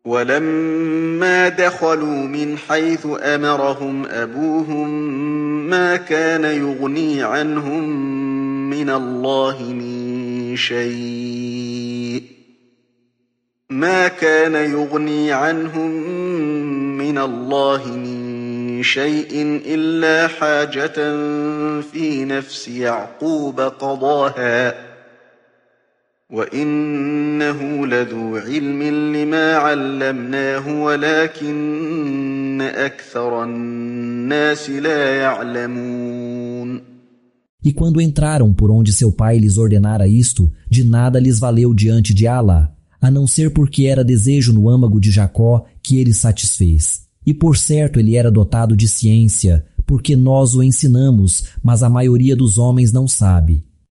ولما دخلوا من حيث أمرهم أبوهم ما كان يغني عنهم من الله من شيء إلا حاجة في نفس يعقوب قضاها وإنه لذو علم لما علمناه ولكن أكثر الناس لا يعلمون. E quando entraram por onde seu pai lhes ordenara isto, de nada lhes valeu diante de Alá, a não ser porque era desejo no âmago de Jacó que ele satisfez. E por certo ele era dotado de ciência, porque nós o ensinamos, mas a maioria dos homens não sabe.